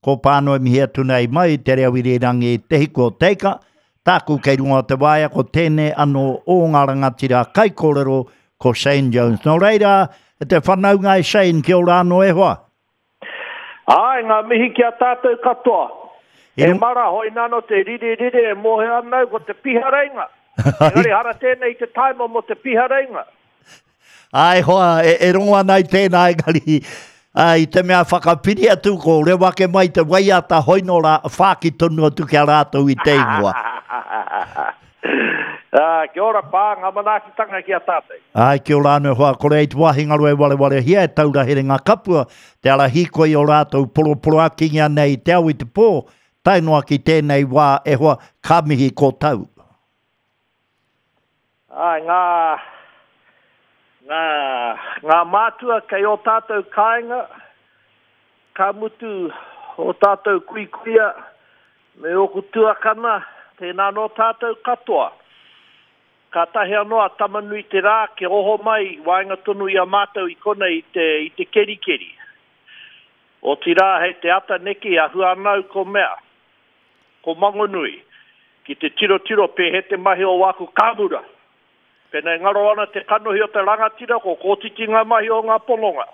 Ko Pānoa e mihi atu nei mai i te reo irirangi Te Hiku o Te Ika, tāku kei runga o te waea ko tēnei anō o ngā rangatira kaikōrero ko Shane Jones. Nō reira, e te whanaunga e Shane, kia ora anō e hoa. Āe, ngā mihi ki a tātou katoa. E mara, hoināno te rire rire e mōhio ana au ko te pihareinga. Engari hara tēnei i te taima mō te pihareinga. Āe hoa, e, e rongo ana i tēnā engari, ā, i te mea whakapiri atu ko rewa ake mai te waiata hoino rā, whāki tonu atu ki a rātou i te ingoa. Ā, kia ora pā, ngā manaakitanga ki a tātou. Āe, kia ora anō e hoa, kore ai te wāhi ngaro e warewarehia e taura herenga kapua, te ara hīkoi o rātou poroporoakingia nei i te ao i te pō, tae noa ki tēnei wā e hoa, ka mihi ko tau. Āe, ngā, ngā, ngā mātua kei ō tātou kāinga, ka mutu ō tātou kuikuia me ōku tuakana, tēnā nō tātou katoa. Kātahi anō a Tamanui-te-rā kia oho mai i waenga tonu i a mātou i konei i te, i te kerikeri. Otirā hei te ata neki a Huanau ko mea. Ko Mangonui, ki te tirotiro pēhea te mahi o wāku kāmura. Pēnā e ngaro ana te kanohi o te rangatira, ko kōtiti ngā mahi o ngā pononga.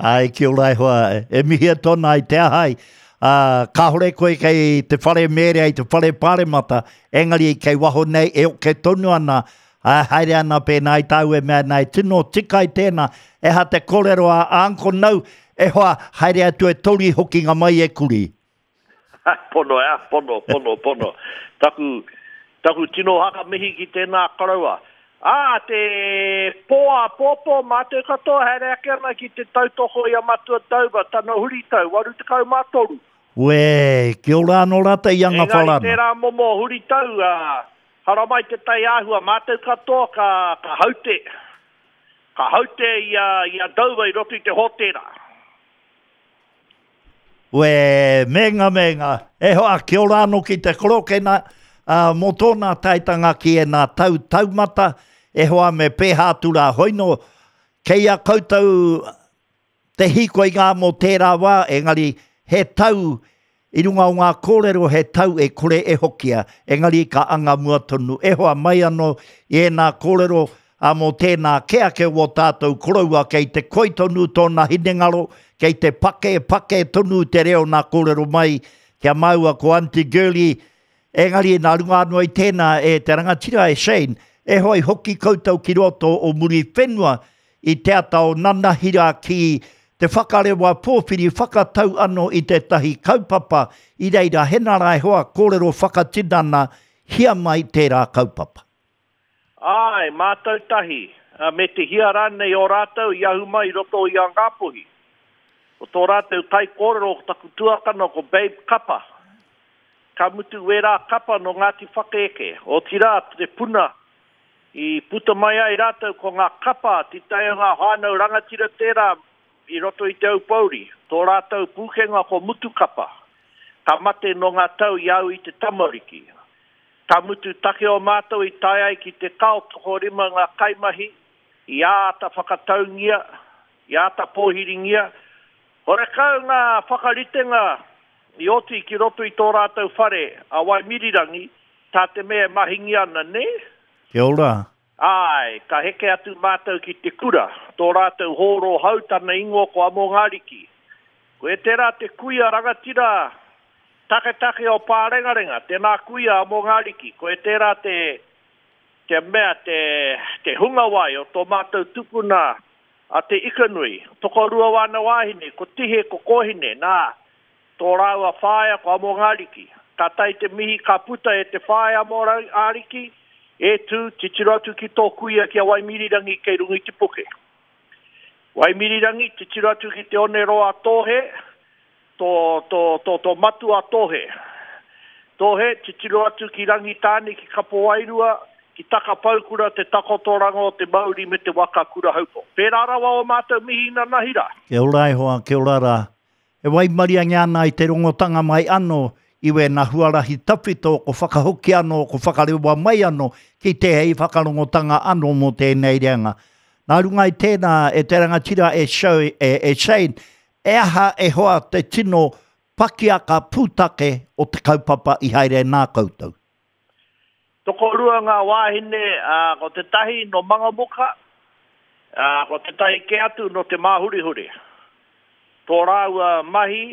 Āe, kia ora e hoa, e mihia tona i te ahai, ā, kāore koe kei te whare mērea i te whare pāremata, engari kei waho nei e oke tonu ana, ā, haere ana pēnā i tāu e mea ana e tino tika i tēnā, eha te kōrero a Uncle Nau, E hoa, haere atu e tori hokinga mai e kuri. Pono ea, pono, pono, pono. Taku, taku tino haka mihi ki tēnā koroua. Ā, te pō āpōpō, mātou katoa haere ake ana ki te tautoko i a Matua Dover, tana huritau, 83. Uē, kia ora anō rātou i anga Engari wharana. tērā momo huritau, ā, haramai te tai āhua, mātou katoa ka, ka haute. Ka haute i a, i a Dover i roto i te hōtēra. Uē, mēnga, mēnga. E hoa, kia ora anō ki te korokena, ā, mō tōna taetanga ki ēnā tau taumata, e hoa me pēhā atu rā hoino, kei a koutou te hīkoi ngā mō tērā wā, engari he tau i runga o ngā kōrero he tau e kore e hokia, engari ka anga mua tonu. E hoa mai anō i ēnā kōrero, ā, mō tēnā kē ake o ō tātou koroua kei te koi tonu tōna hinengaro, kei te pake, pake tonu te reo nā kōrero mai ki a māua ko Aunty Girlie, engari nā runga anō i tēnā e te rangatira e Shane, e hoa i hoki koutou ki roto o Muriwhenua I te ata o nanahira ki te whakarewa pōwhiri whakatau ano i tētahi kaupapa i reira hena ra e hoa kōrero whakatinana hia mai tērā kaupapa. Āe, mātou tahi, me te hia rānei o rātou i ahu mai i roto i a Ngāpuhi. Ko tō rātou kaikōrero ko taku tuakana ko Babe Kapa. Ka mutu wērā kapa nō Ngāti Whakaeke, otirā te puna I puta mai ai rātou ko ngā kapa titae o ngā whānau rangatira tērā i roto i Te Aupōuri. Tō rātou pūkenga ko Mutukapa. Ka mate nō ngā tau i au i te tamariki. Ka mutu take o mātou i tae ai ki te kao tokorima ngā kaimahi i āta whakataungia, i āta pōhiringia. Horekau ngā whakaritenga i oti ki roto i tō rātou whare a Waimirirangi Tā te mea e mahingia ana, nē? Kia ora. Āe, ka heke atu mātou ki te kura. Tō rātou hōro hau tana ingoa ko Amongariki. Koe tērā te kuia rangatira taketake o Pārengarenga, tēnā kuia Amongariki. Koe tērā te, te mea, te, te hungawai o tō mātou tupuna a Te Ikanui. Tokorua wāna wāhine, ko Tihe, ko Kōhine, nā, Tō rāua whaea ko Amongariki. Ka tae te mihi ka puta e te whaea Amongariki, E tū, titiro atu ki tō kuia ki a Waimirirangi kei runga i te puke. Waimirirangi, titiro atu ki te one roa Tōhe, tō, tō, tō, tō matua Tōhe. Tōhe, titiro atu ki Rangitāne, ki Kapowairua, ki Takapaukura te takotoranga o te mauri me te waka Kurahaupo. Pērā rawa ō mātou mihi nanahi rā. Kia ora e hoa, kia ora rā. E waimariangia ana i te rongotanga mai ano i wena huarahi tawhito ko whakahoki ano, ko whakarewa mai ano ki tēhei whakarongotanga ano mō tēnei reanga. Nā runga i tēnā, e te rangatira e Shane, E aha e hoa te tino pakiaka pūtake o te kaupapa i haere nā koutou? Tokorua ngā wāhine, ā, ko tētahi nō Mangamuka, ā, ko tētahi kē atu nō Te Māhurihuri. Tō rāua mahi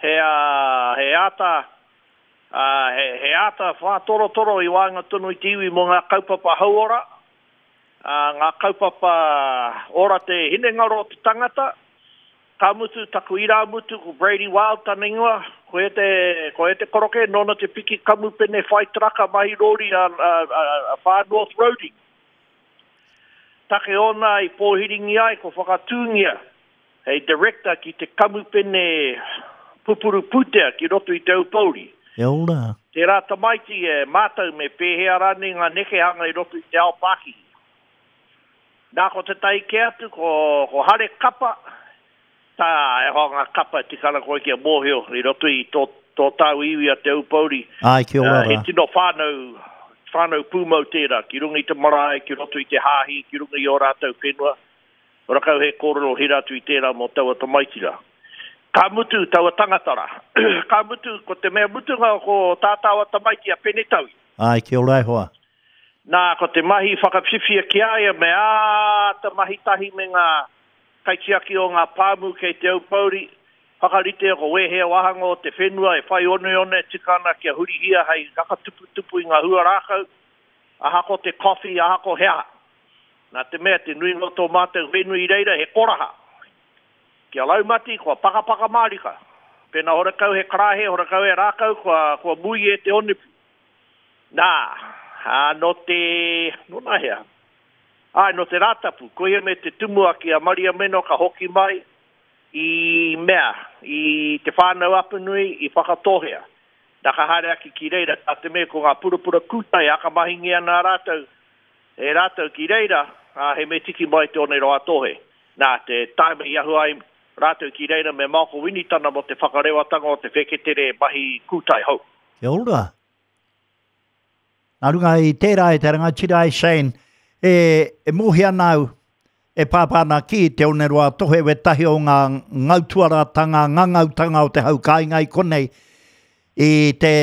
he, ā, he āta, ā, he, he āta whātorotoro i waenga tonu i te iwi mō ngā kaupapa hauora, ā, ngā kaupapa ora te hinengaro o te tangata, Ka mutu taku irāmutu ko Brady Wild tana ingoa, ko ia te, ko ia te koroke nōna te piki kamupene whai taraka mahi rōri a, a, a, a Far North Roading. Take ōna i pōhiringi ai ko whakatūngia hei director ki te kamupene pupuru pūtea ki roto i Te Aupōuri. Kia ora. Tērā tamaiti e mātau me pēhea rānei ngā nekehanga i roto i te ao pākihi. Nā, ko tētahi kē atu, ko, ko Hare Kapa, tā, e hoa ngā kapa e tika ana koe kia mōhio i roto i tō, tō tāu iwi a Te Aupōuri. Āe, kia ora rā. He tino whānau, whānau pūmau tērā, ki runga i te marae, ki roto i te hāhi, ki runga i ō rātou whenua. Horakau he kōrero hira atu i tērā mō taua tamaiti rā. Ka mutu taua tangata rā. Ka mutu, ko te mea mutunga ko tā tāua tamaiti a Penetaui. Āe, kia ora e hoa. Nā, ko te mahi whakawhiwhia ki a ia me āta mahi tahi me ngā kaitiaki o ngā pāmu kei Te Aupōuri, whakaritea ko wēhea wāhanga o te whenua e whai oneone tika ana kia hurihia hei whakatuputupu i ngā hua rākau, ahako te coffee, ahako he aha. Nā te mea, te nuinga o tō mātou whenua i reira he koraha. Kia raumati, kua pakapaka mārika. Pēnā horekau he karaehe, horekau he rākau, kua, kua mui e te onepu. Nā, ā, nō te, nō nahea? Āe, nō te Rātapu, koia me te tumuaki a Mariameno ka hoki mai i mea, i Te Whānau Apanui, i Whakatōhea. Nā, ka haere ake ki reira, tā te mea ko ngā purapura kūtai akamahingia ana rātou, e rātou ki reira, ā, he me tiki mai te Oneroa-a-Tōhe. Nā, te tāima i ahu ai rātou ki reira me Maoko Winitana mō te whakarewatanga o te wheketere mahi kūtai hou. Kia ora. Nā runga i tērā e te rangatira e Shane, e, e mōhia ana au, e pāpā ana ki Te Oneroa Tohe wētahi o ngā ngautuaratanga, ngangautanga o te hau kāinga i konei, i te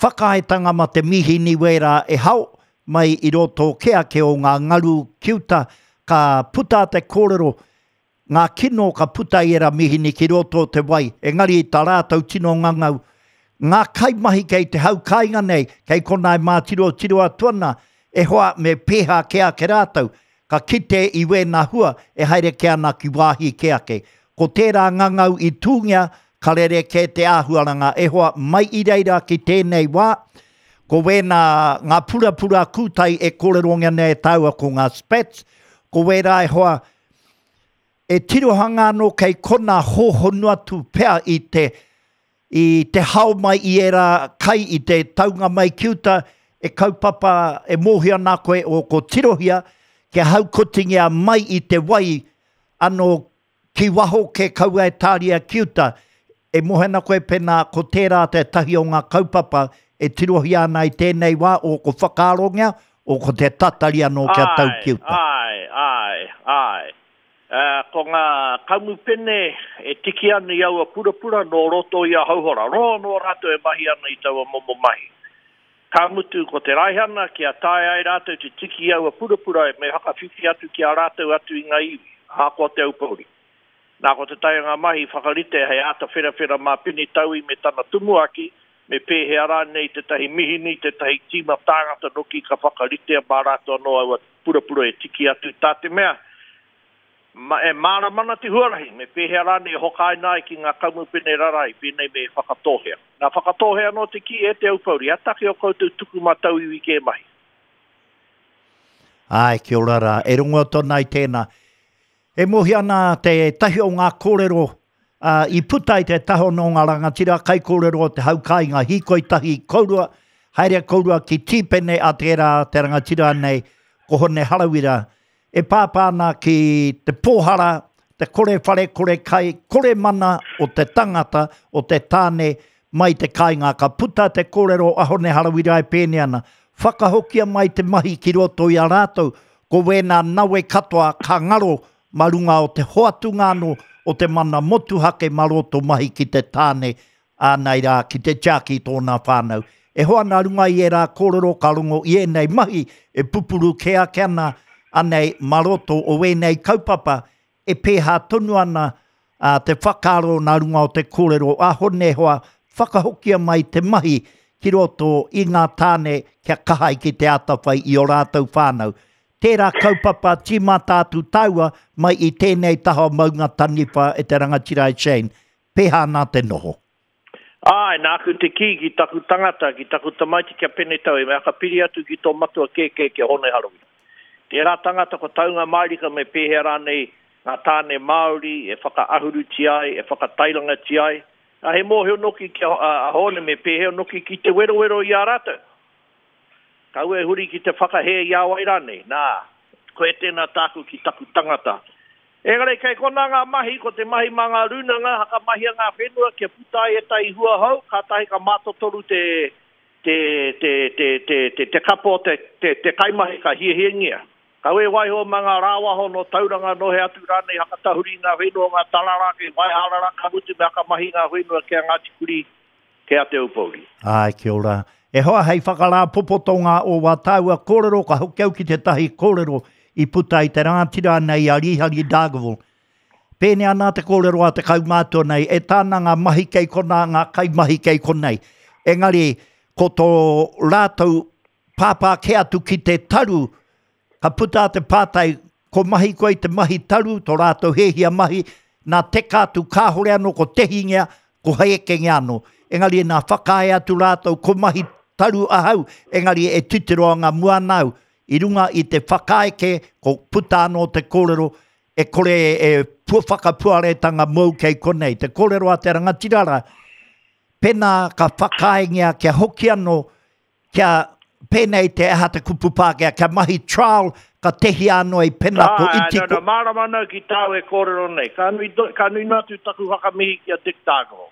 whakaaetanga ma te mīhini wērā e hao mai i roto kē ake o ngā ngaru ki uta, ka puta te kōrero, Ngā kino ka puta i ērā mīhini ki roto o te wai, engari i tā rātou tino ngangau, ngā kaimahi kei te hau kāinga nei, kei konā e mātirotiro atu ana, e hoa me pēhā kē ake rātou, ka kite i wēnā hua e haere kē ana ki wāhi kē ake. Ko tērā ngangau i tūngia, ka rerekē te āhuaranga, e hoa, mai i reira ki tēnei wā, ko wēnā ngā purapura kūtai e kōrerongia nei e tāua ko ngā spats, ko wērā e hoa, E tirohanga anō kei kona hōhonu atu pea i te, i te hao mai i ērā kai i te taunga mai ki uta, e kaupapa e mōhio ana koe o ko tirohia kia haukotingia mai i te wai anō ki waho ke kaua e tāria ki uta. E mōhio ana koe pēnā ko tērā tētahi o ngā kaupapa e tirohia ana i tēnei wā o ko whakaarongia, o ko te tatari anō kia tau ki uta. Āe, āe, āe, āe. Ko ngā kamupene e tiki ana i aua purapura nō roto i a Hauhora. Roa anō rātou e mahi ana i taua momo mahi. Ka mutu ko te raihana kia taea ai rātou te tiki i aua purapura me whakawhiwhi atu ki a rātou atu i ngā iwi, ahakoa te Aupōuri. Nā, ko te taianga mahi whakarite hei āta wherawhera mā Pene Taui me tana tumuaki, me pēhea rānei tētahi mihini, tētahi tīma tāngata noki ka whakaritea mā rātou anō aua purapura e tiki atu, tā te mea, e mārama ana te huarahi, me pēhea rānei e hokaina ai ki ngā kamupene rarai pēnei me Whakatōhea. Nā Whakatōhea anō te kī, e Te Aupōuri, he take o koutou tuku mā tauiwi kē mahi. Āe, kia ora rā. E rongo atu ana i tēnā. E mōhio ana tētahi o ngā kōrero i puta i te taha o ngā rangatira kaikōrero o te hau kāinga, hīkoi tahi kourua, haere kourua ki Tīpene a tērā te rangatira nei, ko Hone Harawira, e pāpā ana ki te pōhara, te kore whare, kore kai, kore mana o te tangata, o te tāne mai te kāinga. Ka puta te kōrero a Hone Harawira e pēnei ana, Whakahokia mai te mahi ki roto i a rātou, ko wēnā nawe katoa ka ngaro mā runga o te hoatunga anō o te mana motuhake mā roto mahi ki te tāne ānai rā ki te tiaki i tōna whānau. E hoa nā runga i ērā kōrero ka rongo i ēnei mahi e pupuru kē ake ana anei mā roto o ēnei kaupapa e pēhā tonu ana te whakaaro nā runga o te kōrero a Hone hoa whakahokia mai te mahi ki roto i ngā tāne kia kaha ai ki te atawhai i ō rātou whānau. Tērā kaupapa tīmata atu tāua mai i tēnei taha o Maunga Taniwha e te rangatira e Shane. Pēhā nā te noho? Āe, nāku te kī ki taku tangata, ki taku tamaiti kia Penetau, he mea ka piri atu ki tō matua kēkē ki a Hone Harawira. Tērā tangata ko Taunga Mairika me pēhea rānei ngā tāne Māori e whakaahurutia ai, e whakatairangatia ai, ā, he mōhio noki ki a Hone me pēhea noki ki te werowero i a rātou. Kaua e huri ki te whakahē i a wai rānei, nā, koe tēnā tāku ki taku tangata. Engari kei konā ngā mahi, ko te mahi mā ngā rūnanga, hakamahia ngā whenua kia puta ai ētahi hua hou, kātahi ka mātotoru te, te, te, te, te, te, te kapo o te, te, te kaimahi ka hiahiangia. Kaua e waiho mā ngā rāwaho nō Tauranga, nō hea atu rānei hakatahuri i ngā whenua o ngā tarara kei Waiharara, ka mutu me hakamahi ngā whenua ki a Ngāti Kurī, Kei a Te Aupōuri. Āe, kia ora. E hoa, hei whakarāpopotonga o wā tāua kōrero, ka hoki au ki tētahi kōrero i puta i te rangatira nei a Rīhari Dargaville. Pēnei ana te kōrero a te kaumātua nei, e tāna ngā mahi kei konā, ngā kaimahi kei konei. Engari, ko tō rātou pāpā kē atu ki te taru, Ka puta te pātai, ko mahi koe i te mahi taru, tō rātou hiahia mahi, nā teka atu kāhore anō ko tehingia, ko hēkengia anō. Engari nā whakaae atu rātou ko mahi taru ahau, engari e titiro anga mua ana au, i runga i te whakaae kē, ko puta anō te kōrero, e kore e whakapuaretanga mōu kei konei. Te kōrero a te rangatira rā, pēnā ka whakaaengia kia hoki anō Kia pēnei te aha te kupu Pākehā, kia mahi trial, ka tehia anō i pena ko iti ko. Āe, no, no, mārama ana ki tāu e kōrero nei. Ka nui, ka nui noa atu taku whakamihi ki a Dick Dargaville.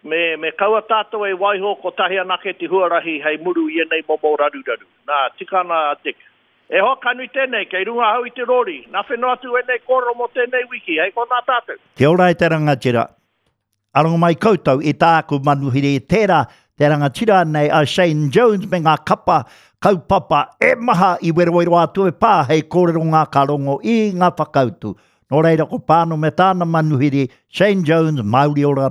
Me, me kaua tātou e waiho kotahi anake te huarahi hei muru i ēnei momo raruraru. Nā, tika ana a Dick. E hoa, ka nui tēnei, kei runga ahau i te rōri. Nā whenua atu ēnei kōrero mō tēnei wiki, hei konā tātou. Kia ora e te rangatira. Aronga mai koutou i tāku manuhiri tērā te rangatira nei a Shane Jones me ngā kapa kaupapa e maha i werowero atu e pā hei kōrero ngā ka rongo i ngā whakautu. Nō reira ko Pāno me tāna manuhiri Shane Jones, Māori ora.